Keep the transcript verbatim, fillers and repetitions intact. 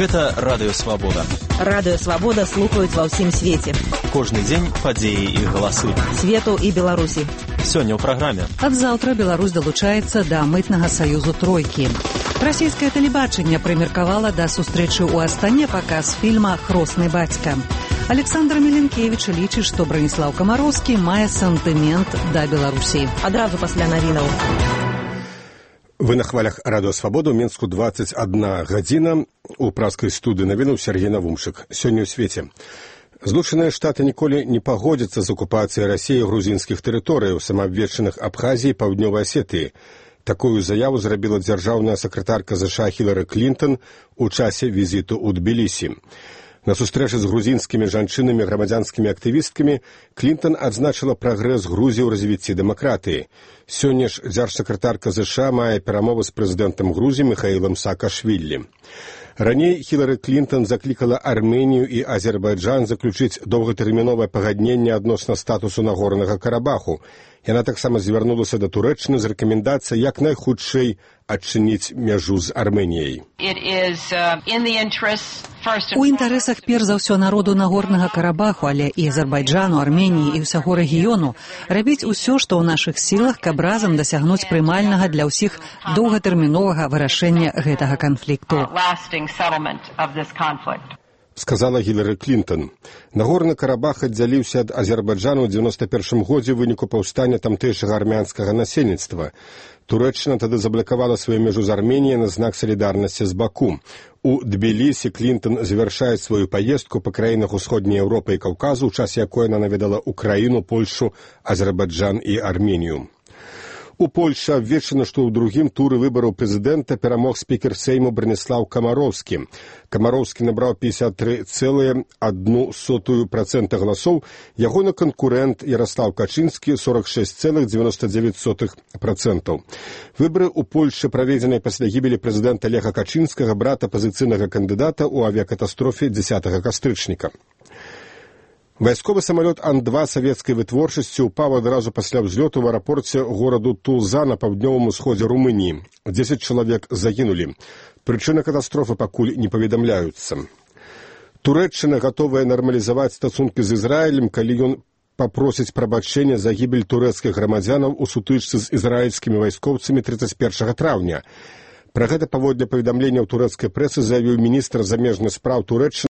Гэта Радыё Свабода. Радыё Свабода слухаюць ва ўсім свеце. Кожны дзень падзеі і галасы. Свету і Беларусі. Сёння ў праграме. Ад заўтра Беларусь далучаецца да мытнага саюзу тройкі. Расійскае тэлебачанне прымеркавала да сустрэчы ў Астане паказ фільма «Хросны бацька». Александр Міленкевіч лічыць, што Браніслаў Камароўскі мае сантымент да Беларусі. Адразу пасля навінаў. Вы на хвалях Радыё Свабода, ў Мінску двадцать одна гадзіна. У праскай студыі навінаў Сергей Навумшык. Сёння ў свеце. Злучаныя Штаты ніколі не пагодзяцца з акупацыяй Расіі грузінскіх тэрыторыяў, самаабвешчаных Абхазіі і Паўднёвай Асетыі. Такую заяву зрабіла дзяржаўная сакратарка ЗША Хілары Клінтон у часе візіту ў Тбілісі. На сустрэчы з грузінскімі жанчынамі і грамадзянскімі актывісткамі Клінтон адзначыла прагрэс Грузіі ў развіцці дэмакратыі. Сёння ж дзяржсакратарка ЗША мае перамовы з прэзідэнтам Грузіі Міхаілам Саакашвілі. Раней Хілары Клінтон заклікала Арменію і Азербайджан заключыць доўгатэрміновае пагадненне адносна статусу Нагорнага Карабаху. Яна таксама звярнулася да Турэччыны з рэкамендацыяй як найхутчэй адчыніць мяжу з Арменіяй. У інтарэсах перш за ўсё народу Нагорнага Карабаху, але і Азербайджану, Арменіі і ўсяго рэгіёну рабіць усё, што ў нашых сілах, каб разам дасягнуць прымальнага для ўсіх доўгатэрміновага вырашэння гэтага канфлікту. Сказала Хілары Клінтон. Нагорны Карабах аддзяліўся ад Азербайджану ў дзевяносто першым годзе ў выніку паўстання тамтэйшага армянскага насельніцтва. Турэччына тады заблакавала сваю мяжу з Арменіяй на знак салідарнасці з Баку. У Тбілісі Клінтон завяршае сваю паездку па краінах Усходняй Еўропы і Каўказу, у час якой яна наведала Украіну, Польшу, Азербайджан і Арменію. У Польшы абвешчана, што ў другім туры выбараў прэзідэнта перамог спікер Сейму Браніслаў Камароўскі. Камароўскі набраў пятьдесят три целых одну сотую процента галасоў, ягоны канкурэнт Ярослаў Качынскі сорок шесть целых девяносто девять сотых процента. Выбары ў Польшы праведзеныя пасля гібелі прэзідэнта Леха Качынскага, брата апазіцыйнага кандыдата ў авіякатастрофе дзесятага кастрычніка. Вайсковы самалёт Ан два савецкай вытворчасці ўпаў адразу пасля ўзлёту ў аэрапорце гораду Тулза на паўднёвым усходзе Румыніі. дзесяць чалавек загінулі. Прычыны катастрофы пакуль не паведамляюцца. Турэччына гатовая нармалізаваць стасункі з Ізраілем, калі ён папросіць прабачэння за гібель турэцкіх грамадзянаў у сутычцы з ізраільскімі вайскоўцамі тридцать первого траўня. Пра гэта паводле паведамлення ў турэцкай прэсы заявіў міністр замежных спраў Турэччыны